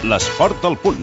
L'esport al punt.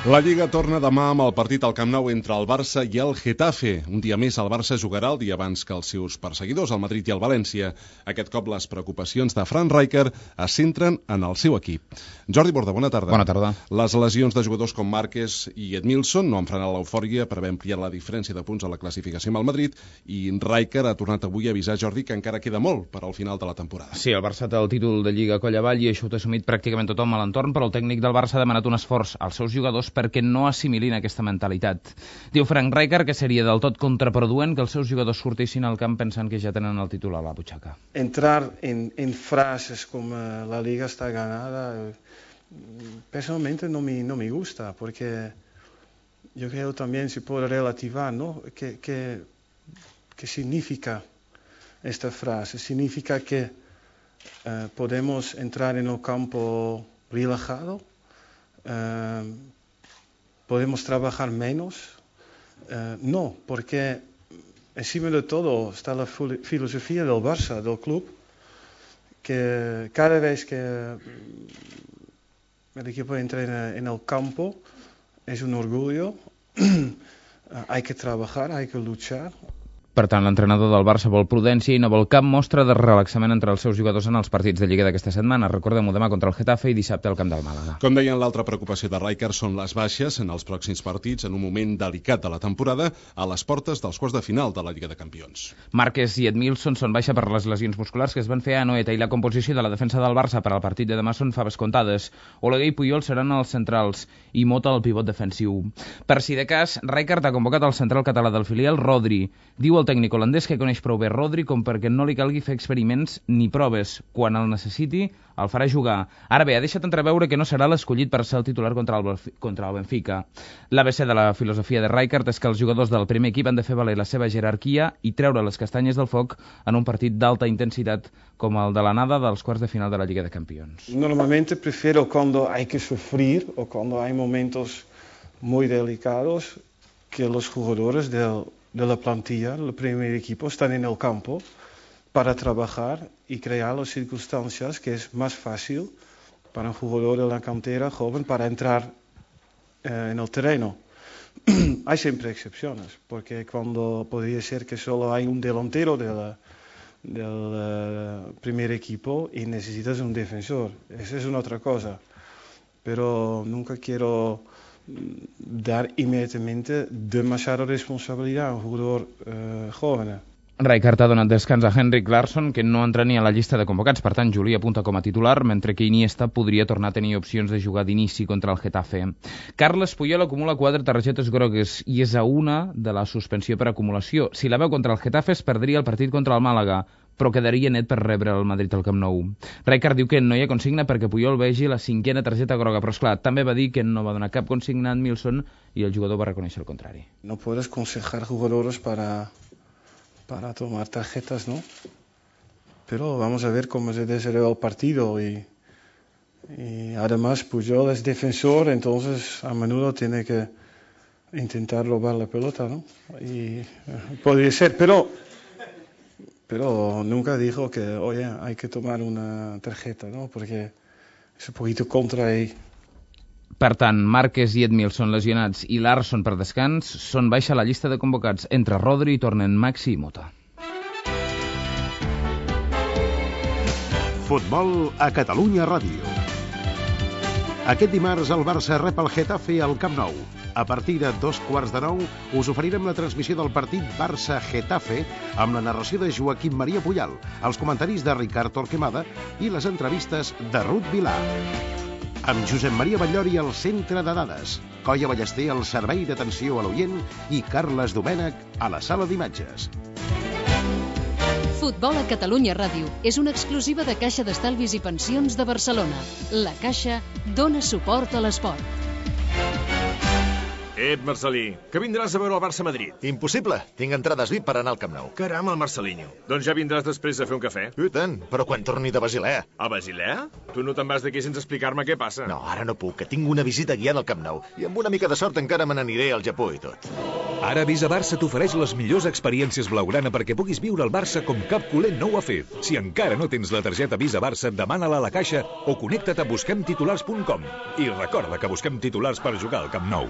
La Lliga torna demà amb el partit al Camp Nou entre el Barça i el Getafe. Un dia més el Barça jugarà el dia abans que els seus perseguidors, el Madrid i el València. Aquest cop les preocupacions de Frank Rijkaard es centren en el seu equip. Jordi Borda, bona tarda. Bona tarda. Les lesions de jugadors com Márquez i Edmilson no han frenat l'eufòria per haver ampliat la diferència de punts a la classificació amb el Madrid, i Rijkaard ha tornat avui a avisar Jordi que encara queda molt per al final de la temporada. Sí, el Barça té el títol de Lliga coll avall i això ho té assumit pràcticament tothom a l'entorn, però el tècnic del Barça ha demanat un esforç als seus jugadors perquè no assimilin aquesta mentalitat. Diu Frank Rijkaard que seria del tot contraproduent que els seus jugadors sortissin al camp pensant que ja tenen el títol a la butxaca. Entrar en frases como la liga está ganada, personalmente no me gusta, porque yo creo también se puede relativar, ¿no? ¿Qué significa esta frase? Significa que podemos entrar en el campo relajado, podemos trabajar menos. No, porque encima de todo está la filosofía del Barça, del club, que cada vez que el equipo entra en el campo es un orgullo, hay que trabajar, hay que luchar. Per tant, l'entrenador del Barça vol prudència i no vol cap mostra de relaxament entre els seus jugadors en els partits de Lliga d'aquesta setmana. Recordem-ho, demà contra el Getafe i dissabte al camp del Màlaga. Com deien, l'altra preocupació de Rijkaard són les baixes en els pròxims partits en un moment delicat de la temporada a les portes dels quarts de final de la Lliga de Campions. Márquez i Edmilson són baixa per les lesions musculars que es van fer a Anoeta i la composició de la defensa del Barça per al partit de demà són faves comptades. Oleguer i Puyol seran els centrals i Mota el pivot defensiu. Per si de cas, Rijkaard ha convocat el central català del filial, Rodri. Diu el tècnic holandès que coneix prou bé Rodri com perquè no li calgui fer experiments ni proves. Quan el necessiti, el farà jugar. Ara bé, ha deixat entreveure que no serà l'escollit per ser el titular contra el Benfica. L'ABC de la filosofia de Rijkaard és que els jugadors del primer equip han de fer valer la seva jerarquia i treure les castanyes del foc en un partit d'alta intensitat com el de l'anada dels quarts de final de la Lliga de Campions. Normalmente prefiero cuando hay que sufrir o cuando hay momentos muy delicados que los jugadores de la plantilla, el primer equipo, están en el campo para trabajar y crear las circunstancias que es más fácil para un jugador de la cantera joven para entrar en el terreno. Hay siempre excepciones, porque cuando podría ser que solo hay un delantero del primer equipo y necesitas un defensor, esa es una otra cosa. Pero nunca quiero dar inmediatamente demasiada responsabilidad a un jugador joven. Rijkaard ha donat descans a Henrik Larsson, que no entra ni a la llista de convocats, per tant Juli apunta com a titular, mentre que Iniesta podria tornar a tenir opcions de jugar d'inici contra el Getafe. Carles Puyol acumula 4 targetes grogues i és a una de la suspensió per acumulació. Si la veu contra el Getafe es perdria el partit contra el Màlaga, però quedaria net per rebre el Madrid al Camp Nou. Rijkaard diu que no hi ha consigna perquè Puyol vegi la 5a targeta groga, però esclar, també va dir que no va donar cap consigna a Edmilson i el jugador va reconèixer el contrari. No puedes aconsejar jugadores para tomar tarjetas, ¿no? Pero vamos a ver cómo se desarrolla el partido y además Puyol es defensor, entonces a menudo tiene que intentar robar la pelota, ¿no? Y podría ser, pero nunca dijo que, oye, hay que tomar una tarjeta, ¿no? Porque es un poquito contra ahí. Per tant, Márquez i Edmilson lesionats i Larsson per descans són baixa a la llista de convocats. Entre Rodri i tornen Maxi i Mota. Futbol a Catalunya Ràdio. Aquest dimarts el Barça rep el Getafe al Camp Nou. A partir de 8:45 us oferirem la transmissió del partit Barça-Getafe amb la narració de Joaquim Maria Puyal, els comentaris de Ricard Torquemada i les entrevistes de Ruth Vilar. Amb Josep Maria Batllori al centre de dades, Coia Ballester al servei d'atenció a l'oient i Carles Domènech a la sala d'imatges. Futbol a Catalunya Ràdio és una exclusiva de Caixa d'Estalvis i Pensions de Barcelona. La Caixa dona suport a l'esport. Marcelí, que vindràs a veure el Barça-Madrid. Impossible, tinc entrades VIP per anar al Camp Nou. Caram, el Marcelinho. Doncs ja vindràs després a fer un cafè. I tant, però quan torni de Basilea. A Basilea? Tu no te'n vas d'aquí sense explicar-me què passa. No, ara no puc, que tinc una visita guiant al Camp Nou. I amb una mica de sort encara me n'aniré al Japó i tot. Ara Visa Barça t'ofereix les millors experiències blaugrana perquè puguis viure el Barça com cap culer no ho ha fet. Si encara no tens la targeta Visa Barça, demana-la a la caixa o connecta't a busquemtitulars.com. I recorda que busquem titulars per jugar al Camp Nou.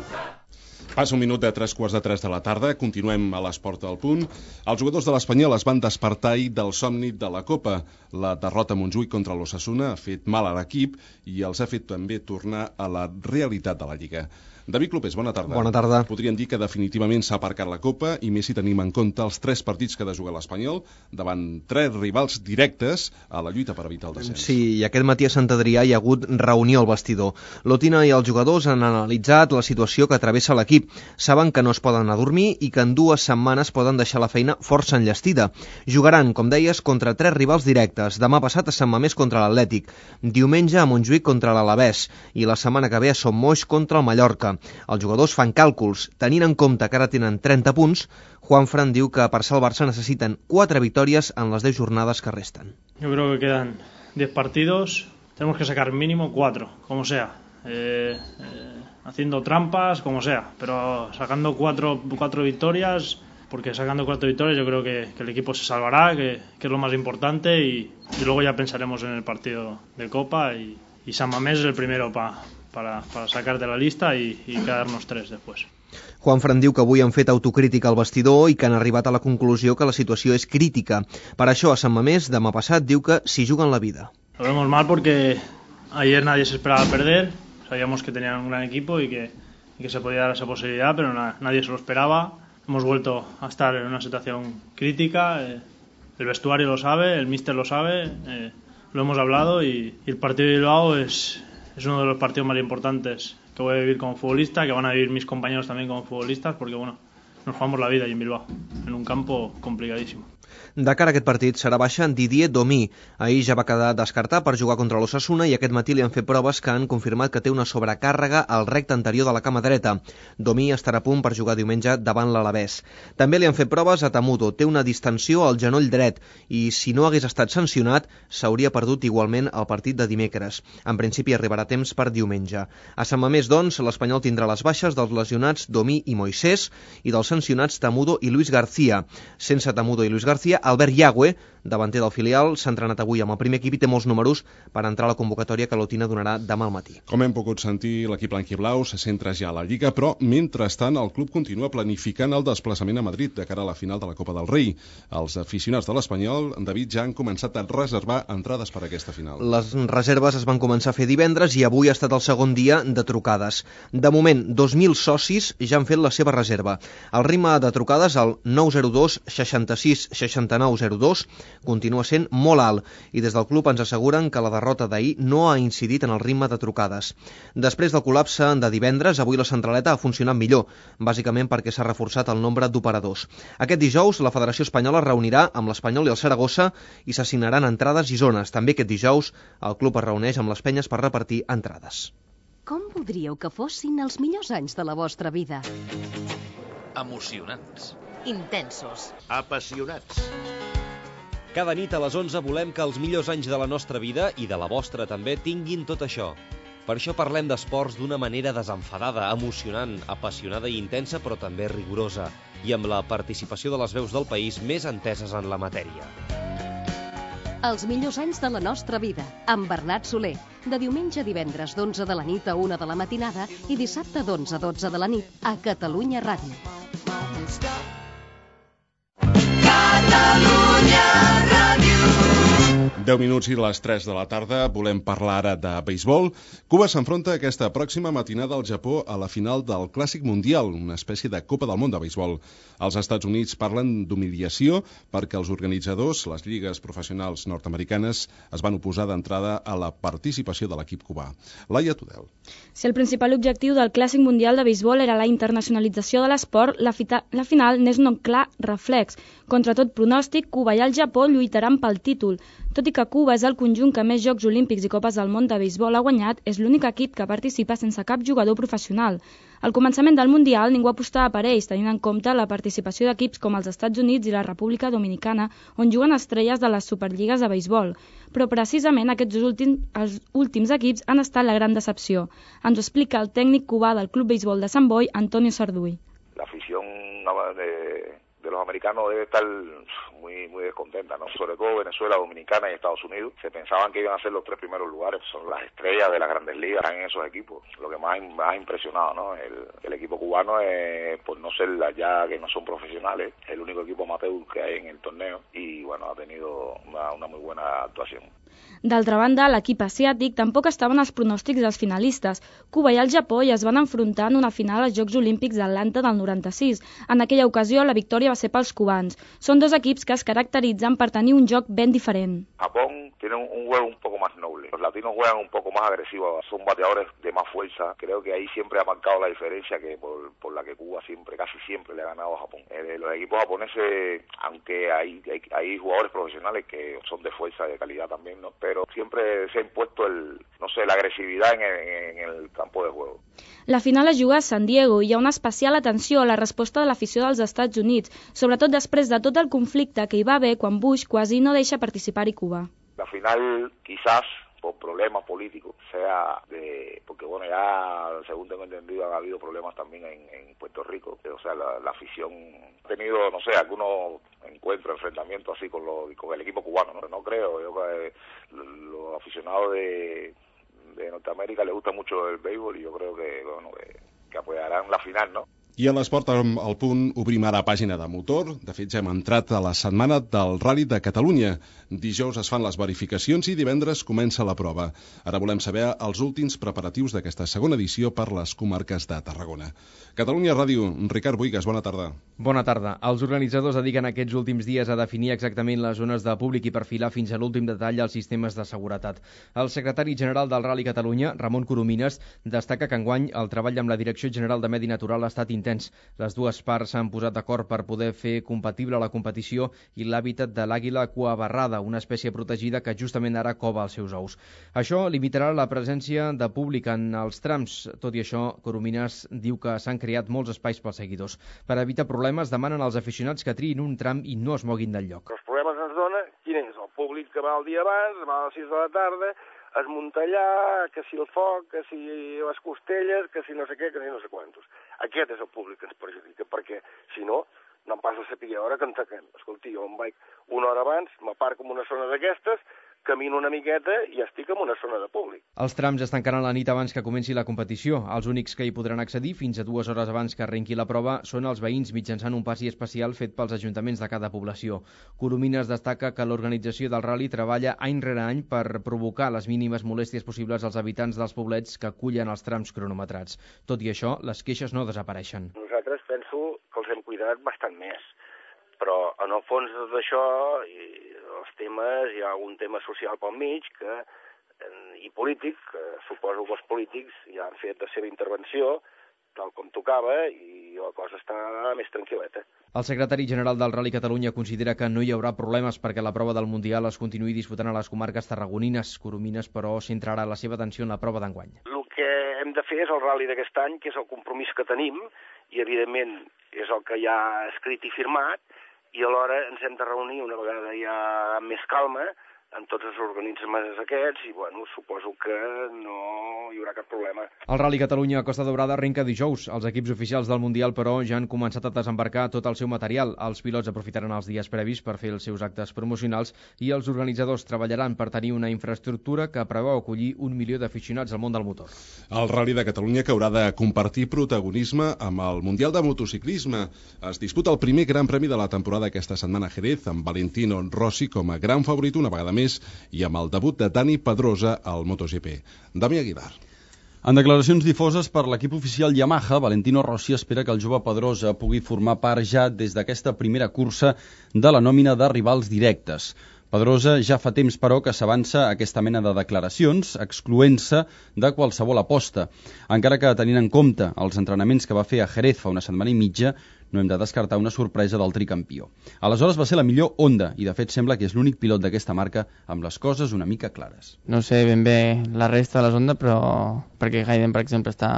Passa un minut de 3:45 de la tarda, continuem a l'Esport al Punt. Els jugadors de l'Espanyol es van despertar ahir del somni de la Copa. La derrota a Montjuïc contra l'Osasuna ha fet mal a l'equip i els ha fet també tornar a la realitat de la Lliga. David Clopés, bona tarda. Bona tarda. Podríem dir que definitivament s'ha aparcat la Copa i més si tenim en compte els 3 partits que ha de jugar l'Espanyol davant 3 rivals directes a la lluita per evitar el descens. Sí, i aquest matí a Sant Adrià hi ha hagut reunió al vestidor. L'Otina i els jugadors han analitzat la situació que travessa l'equip. Saben que no es poden anar a dormir i que en 2 setmanes poden deixar la feina força enllestida. Jugaran, com deies, contra 3 rivals directes. Demà passat a Sant Mamés contra l'Atlètic, diumenge a Montjuïc contra l'Alavés i la setmana que ve a Son Moix contra el Mallorca. Els jugadors fan càlculs. Tenint en compte que ara tenen 30 punts, Juanfran diu que per ser el Barça necessiten 4 victòries en les 10 jornades que resten. Yo creo que quedan 10 partidos, tenemos que sacar mínimo 4, como sea. Haciendo trampas, como sea, pero sacando 4 victorias, porque sacando 4 victorias yo creo que el equipo se salvará, que es lo más importante, y luego ya pensaremos en el partido de Copa, y San Mamés es el primero para sacar de la lista y quedarnos 3 después. Juanfran diu que avui han fet autocrítica al vestidor i que han arribat a la conclusió que la situació és crítica. Per això, a Sant Mamés, demà passat, diu que s'hi juguen la vida. Lo vemos mal porque ayer nadie se esperaba perder, sabíamos que tenían un gran equipo y que se podía dar esa posibilidad, pero nadie se lo esperaba. Hemos vuelto a estar en una situación crítica, el vestuario lo sabe, el míster lo sabe, lo hemos hablado, y el partido de Bilbao es uno de los partidos más importantes que voy a vivir como futbolista, que van a vivir mis compañeros también como futbolistas, porque bueno, nos jugamos la vida allí en Bilbao, en un campo complicadísimo. De cara a aquest partit serà baixa Didier Domí. Ahir ja va quedar descartat per jugar contra l'Osasuna i aquest matí li han fet proves que han confirmat que té una sobrecàrrega al recte anterior de la cama dreta. Domí estarà a punt per jugar diumenge davant l'Alavés. També li han fet proves a Tamudo. Té una distensió al genoll dret i si no hagués estat sancionat s'hauria perdut igualment el partit de dimecres. En principi arribarà a temps per diumenge. A Sant Mamés, doncs, l'Espanyol tindrà les baixes dels lesionats Domí i Moisés i dels sancionats Tamudo i Luis García. Sense Tamudo i Luis García, Albert Yagüe, davanter del filial, s'ha entrenat avui amb el primer equip i té molts números per entrar a la convocatòria que l'Otina donarà demà al matí. Com hem pogut sentir, l'equip blanquiblau se centra ja a la Lliga, però mentrestant el club continua planificant el desplaçament a Madrid de cara a la final de la Copa del Rei. Els aficionats de l'Espanyol, David, ja han començat a reservar entrades per a aquesta final. Les reserves es van començar a fer divendres i avui ha estat el segon dia de trucades. De moment, 2.000 socis ja han fet la seva reserva. El ritme de trucades al 902 66 69 02 continua sent molt alt i des del club ens asseguren que la derrota d'ahir no ha incidit en el ritme de trucades. Després del col·lapse de divendres, avui la centraleta ha funcionat millor, bàsicament perquè s'ha reforçat el nombre d'operadors. Aquest dijous, la Federació Espanyola es reunirà amb l'Espanyol i el Saragossa i s'assignaran entrades i zones. També aquest dijous, el club es reuneix amb les penyes per repartir entrades. Com voldríeu que fossin els millors anys de la vostra vida? Emocionants. Intensos. Apassionats. Cada nit a les 11 volem que els millors anys de la nostra vida, i de la vostra també, tinguin tot això. Per això parlem d'esports d'una manera desenfadada, emocionant, apassionada i intensa, però també rigorosa, i amb la participació de les veus del país més enteses en la matèria. Els millors anys de la nostra vida, amb Bernat Soler, de diumenge a divendres d'11 de la nit a 1 de la matinada i dissabte d'11 a 12 de la nit a Catalunya Ràdio. Catalunya Ràdio. 10 minuts i les 3 de la tarda. Volem parlar ara de beisbol. Cuba s'enfronta aquesta pròxima matinada al Japó a la final del Clàssic Mundial, una espècie de Copa del Món de beisbol. Els Estats Units parlen d'humiliació perquè els organitzadors, les lligues professionals nord-americanes, es van oposar d'entrada a la participació de l'equip cubà. Laia Tudel. Si el principal objectiu del Clàssic Mundial de beisbol era la internacionalització de l'esport, la final n'és un clar reflex. Contra tot pronòstic, Cuba i el Japó lluitaran pel títol. Tot i que Cuba és el conjunt que més Jocs Olímpics i Copes del Món de béisbol ha guanyat, és l'únic equip que participa sense cap jugador professional. Al començament del Mundial ningú apostava per ells, tenint en compte la participació d'equips com els Estats Units i la República Dominicana, on juguen estrelles de les superlligues de béisbol. Però precisament els últims equips han estat la gran decepció. Ens ho explica el tècnic cubà del Club Béisbol de Sant Boi, Antonio Sarduy. La afición de los americanos debe estar muy descontenta, ¿no? Sobre todo Venezuela, Dominicana y Estados Unidos. Se pensaban que iban a ser los 3 primeros lugares. Son las estrellas de las grandes ligas, están en esos equipos. Lo que más ha impresionado, ¿no? El equipo cubano es, por no ser ya que no son profesionales, el único equipo amateur que hay en el torneo y, bueno, ha tenido una muy buena actuación. D'altra banda, l'equip asiàtic tampoc estava en els pronòstics dels finalistes. Cuba i el Japó ja es van enfrontar en una final als Jocs Olímpics d'Atlanta del 96. En aquella ocasió, la victòria va ser pels cubans. Són dos equips que es caracteritzen per tenir un joc ben diferent. Japón tiene un juego un poco más noble. Los latinos juegan un poco más agresivos, son bateadores de más fuerza. Creo que ahí siempre ha marcado la diferencia que por la que Cuba casi siempre le ha ganado a Japón. Los equipos japoneses, aunque hay jugadores profesionales que son de fuerza, de calidad también, ¿no? Pero siempre se ha impuesto la agresividad en el campo de juego. La final es juga a San Diego i hi ha una especial atenció a la resposta de l'afició dels Estats Units, sobretot després de tot el conflicte que hi va haver quan Bush quasi no deixa participar-hi Cuba. La final quizás por problemas políticos sea porque bueno, ya según tengo entendido han habido problemas también en Puerto Rico, o sea la afición ha tenido, no sé, algunos encuentros, enfrentamientos así con el equipo cubano, no creo, yo que los aficionados de Norteamérica les gusta mucho el béisbol y yo creo que apoyarán la final, ¿no? I a l'esport al punt obrim ara pàgina de motor. De fet, ja hem entrat a la setmana del Rally de Catalunya. Dijous es fan les verificacions i divendres comença la prova. Ara volem saber els últims preparatius d'aquesta segona edició per les comarques de Tarragona. Catalunya Ràdio, Ricard Boigas, bona tarda. Bona tarda. Els organitzadors dediquen aquests últims dies a definir exactament les zones de públic i perfilar fins a l'últim detall els sistemes de seguretat. El secretari general del Rally Catalunya, Ramon Coromines, destaca que enguany el treball amb la Direcció General de Medi Natural ha estat intens. Les dues parts s'han posat d'acord per poder fer compatible la competició i l'hàbitat de l'àguila cuabarrada, una espècie protegida que justament ara cova els seus ous. Això limitarà la presència de públic en els trams. Tot i això, Coromines diu que s'han creat molts espais pels seguidors. Per evitar problemes, demanen als aficionats que triïn un tram i no es moguin del lloc. Els problemes ens dona quin és el públic que va el dia abans, va a les 6 de la tarda, es munta allà, que si el foc, que si les costelles, que si no sé què, que si no sé quantos. Aquest és el públic que ens perjudica, perquè si no, no em passa a saber a hora que en taquem. Escolti, jo em vaig una hora abans, m'aparco en una zona d'aquestes, camino una miqueta i estic en una zona de públic. Els trams es tancaran la nit abans que comenci la competició. Els únics que hi podran accedir fins a 2 hores abans que arrenqui la prova són els veïns mitjançant un passi especial fet pels ajuntaments de cada població. Coromines destaca que l'organització del rally treballa any rere any per provocar les mínimes molèsties possibles als habitants dels poblets que acullen els trams cronometrats. Tot i això, les queixes no desapareixen. Nosaltres penso que els hem cuidat bastant més, però en el fons d'això els temes, hi ha un tema social pel mig i polític, que suposo que els polítics ja han fet la seva intervenció tal com tocava i la cosa està més tranquil·leta. El secretari general del Rally Catalunya considera que no hi haurà problemes perquè la prova del Mundial es continuï disputant a les comarques tarragonines. Coromines, però, centrarà la seva atenció en la prova d'enguany. El que hem de fer és el rally d'aquest any, que és el compromís que tenim, i evidentment és el que ja ha escrit i firmat, i alhora ens hem de reunir una vegada ja amb més calma amb tots els organismes aquests i, bueno, suposo que no hi haurà cap problema. El Rally Catalunya a Costa Daurada arrenca dijous. Els equips oficials del Mundial, però, ja han començat a desembarcar tot el seu material. Els pilots aprofitaran els dies previs per fer els seus actes promocionals i els organitzadors treballaran per tenir una infraestructura que preveu acollir 1 milió d'aficionats al món del motor. El Rally de Catalunya, que haurà de compartir protagonisme amb el Mundial de Motociclisme. Es disputa el primer gran premi de la temporada aquesta setmana a Jerez, amb Valentino Rossi com a gran favorit una vegada més i amb el debut de Dani Pedrosa al MotoGP. Dami Aguilar. En declaracions difoses per l'equip oficial Yamaha, Valentino Rossi espera que el jove Pedrosa pugui formar part ja des d'aquesta primera cursa de la nòmina de rivals directes. Pedrosa ja fa temps, però, que s'avança aquesta mena de declaracions, excloent-se de qualsevol aposta. Encara que, tenint en compte els entrenaments que va fer a Jerez fa una setmana i mitja, no hem de descartar una sorpresa del tricampió. Aleshores va ser la millor Honda, i de fet sembla que és l'únic pilot d'aquesta marca amb les coses una mica clares. No sé ben bé la resta de les Honda, però perquè Hayden, per exemple, està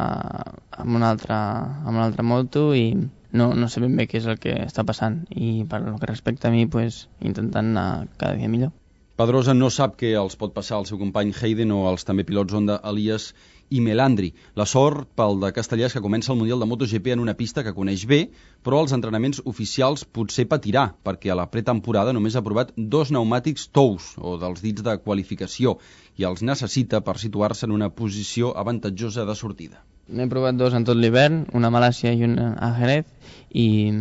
amb una altra moto i no sé ben bé què és el que està passant. I per el que respecta a mi, pues, intentant anar cada dia millor. Pedrosa no sap què els pot passar al seu company Hayden o als també pilots Honda Elias i Melandri. La sort pel de Castellers, que comença el Mundial de MotoGP en una pista que coneix bé, però els entrenaments oficials potser patirà, perquè a la pretemporada només ha provat 2 pneumàtics tous, o dels dits de qualificació, i els necessita per situar-se en una posició avantatjosa de sortida. N'he provat 2 en tot l'hivern, una a Malàcia i una a Jerez, i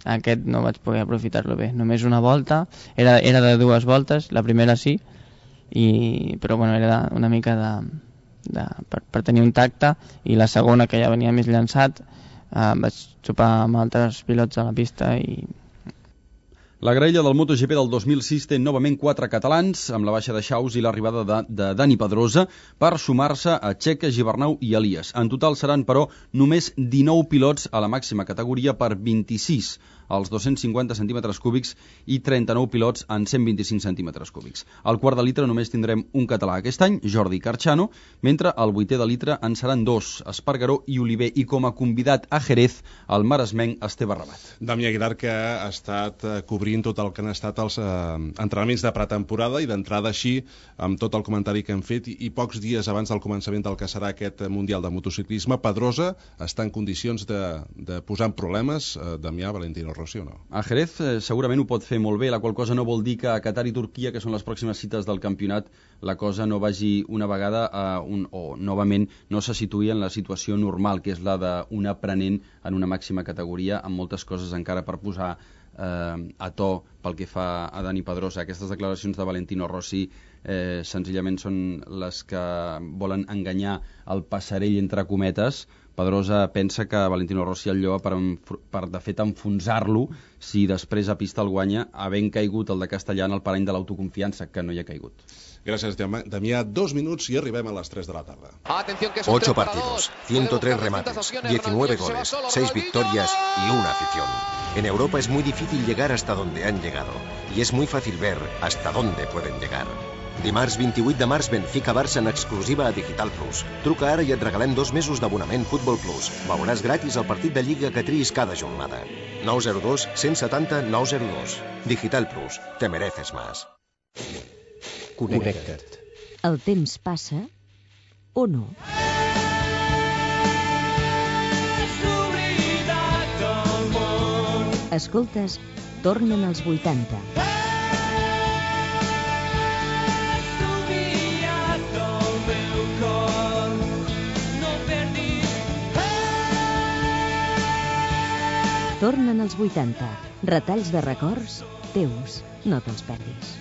aquest no vaig poder aprofitar-lo bé. Només una volta, era de 2 voltes, la primera sí, però bueno, era una mica per tenir un tacte, i la segona, que ja venia més llançat, vaig xupar amb altres pilots a la pista i... La graella del MotoGP del 2006 té novament 4 catalans, amb la baixa de Chaus i l'arribada de Dani Pedrosa, per sumar-se a Checa, Gibernau i Elias. En total seran, però, només 19 pilots a la màxima categoria per 26 als 250 centímetres cúbics i 39 pilots en 125 centímetres cúbics. Al quart de litre només tindrem un català aquest any, Jordi Carchano, mentre al vuitè de litre en seran 2, Espargaró i Oliver, i com a convidat a Jerez, el maresmenc Esteve Rabat. Damià Aguilar, que ha estat cobrint tot el que han estat els entrenaments de pretemporada i d'entrada així, amb tot el comentari que hem fet, i pocs dies abans del començament del que serà aquest Mundial de Motociclisme, Pedrosa està en condicions de posar en problemes Damià, Valentino Rossi, o no? A Jerez segurament ho pot fer molt bé, la qual cosa no vol dir que a Qatar i Turquia, que són les pròximes cites del campionat, la cosa no vagi una vegada o novament no se situï en la situació normal, que és la d'un aprenent en una màxima categoria, amb moltes coses encara per posar a to pel que fa a Dani Pedrosa. Aquestes declaracions de Valentino Rossi senzillament són les que volen enganyar el passarell entre cometes. Pedrosa pensa que Valentino Rossi el lloa per de fet enfonsar-lo si després a pista el guanya, havent caigut el de Castellà en el parany de l'autoconfiança, que no hi ha caigut. Gràcies, Damià. 2 minuts i arribem a les 3 de la tarda. 8 partidos, 103 remates, 19 goles, 6 victorias y una afición. En Europa es muy difícil llegar hasta donde han llegado, y es muy fácil ver hasta dónde pueden llegar. Dimarts 28 de març, Benfica-Barça en exclusiva a Digital Plus. Truca ara i et regalem 2 mesos d'abonament Futbol Plus. Veuràs gratis el partit de Lliga que triïs cada jornada. 902 170 902. Digital Plus. Te mereces más. Connecta't. El temps passa o no? Escoltes, tornen als 80. Tornen als 80. Retalls de records teus. No te'ls perdis.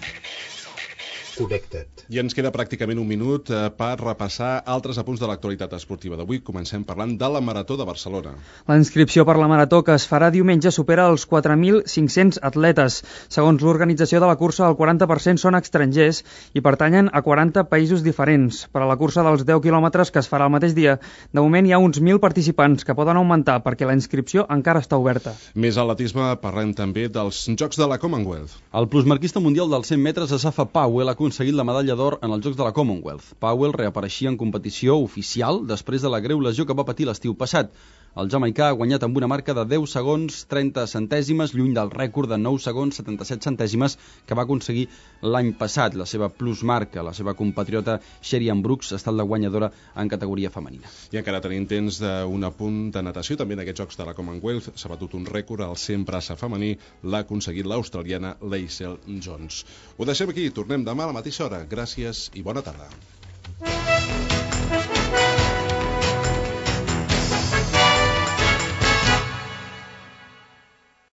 Connecta't. I ens queda pràcticament un minut per repassar altres apunts de l'actualitat esportiva d'avui. Comencem parlant de la Marató de Barcelona. La inscripció per la Marató que es farà diumenge supera els 4.500 atletes. Segons l'organització de la cursa, el 40% són estrangers i pertanyen a 40 països diferents. Per a la cursa dels 10 quilòmetres que es farà el mateix dia, de moment hi ha uns 1.000 participants que poden augmentar perquè la inscripció encara està oberta. Més atletisme, parlem també dels Jocs de la Commonwealth. El plusmarquista mundial dels 100 metres, Asafa Powell, ha aconseguit la medalla d'or en els Jocs de la Commonwealth. Powell reapareixia en competició oficial després de la greu lesió que va patir l'estiu passat. El jamaicà ha guanyat amb una marca de 10 segons 30 centèsimes, lluny del rècord de 9 segons 77 centèsimes que va aconseguir l'any passat. La seva plusmarca, la seva compatriota Sherian Brooks, ha estat la guanyadora en categoria femenina. I encara tenim temps d'un apunt de natació. També en aquests Jocs de la Commonwealth s'ha batut un rècord al 100 braça femení. L'ha aconseguit l'australiana Leisel Jones. Ho deixem aquí. Tornem demà a la mateixa hora. Gràcies i bona tarda.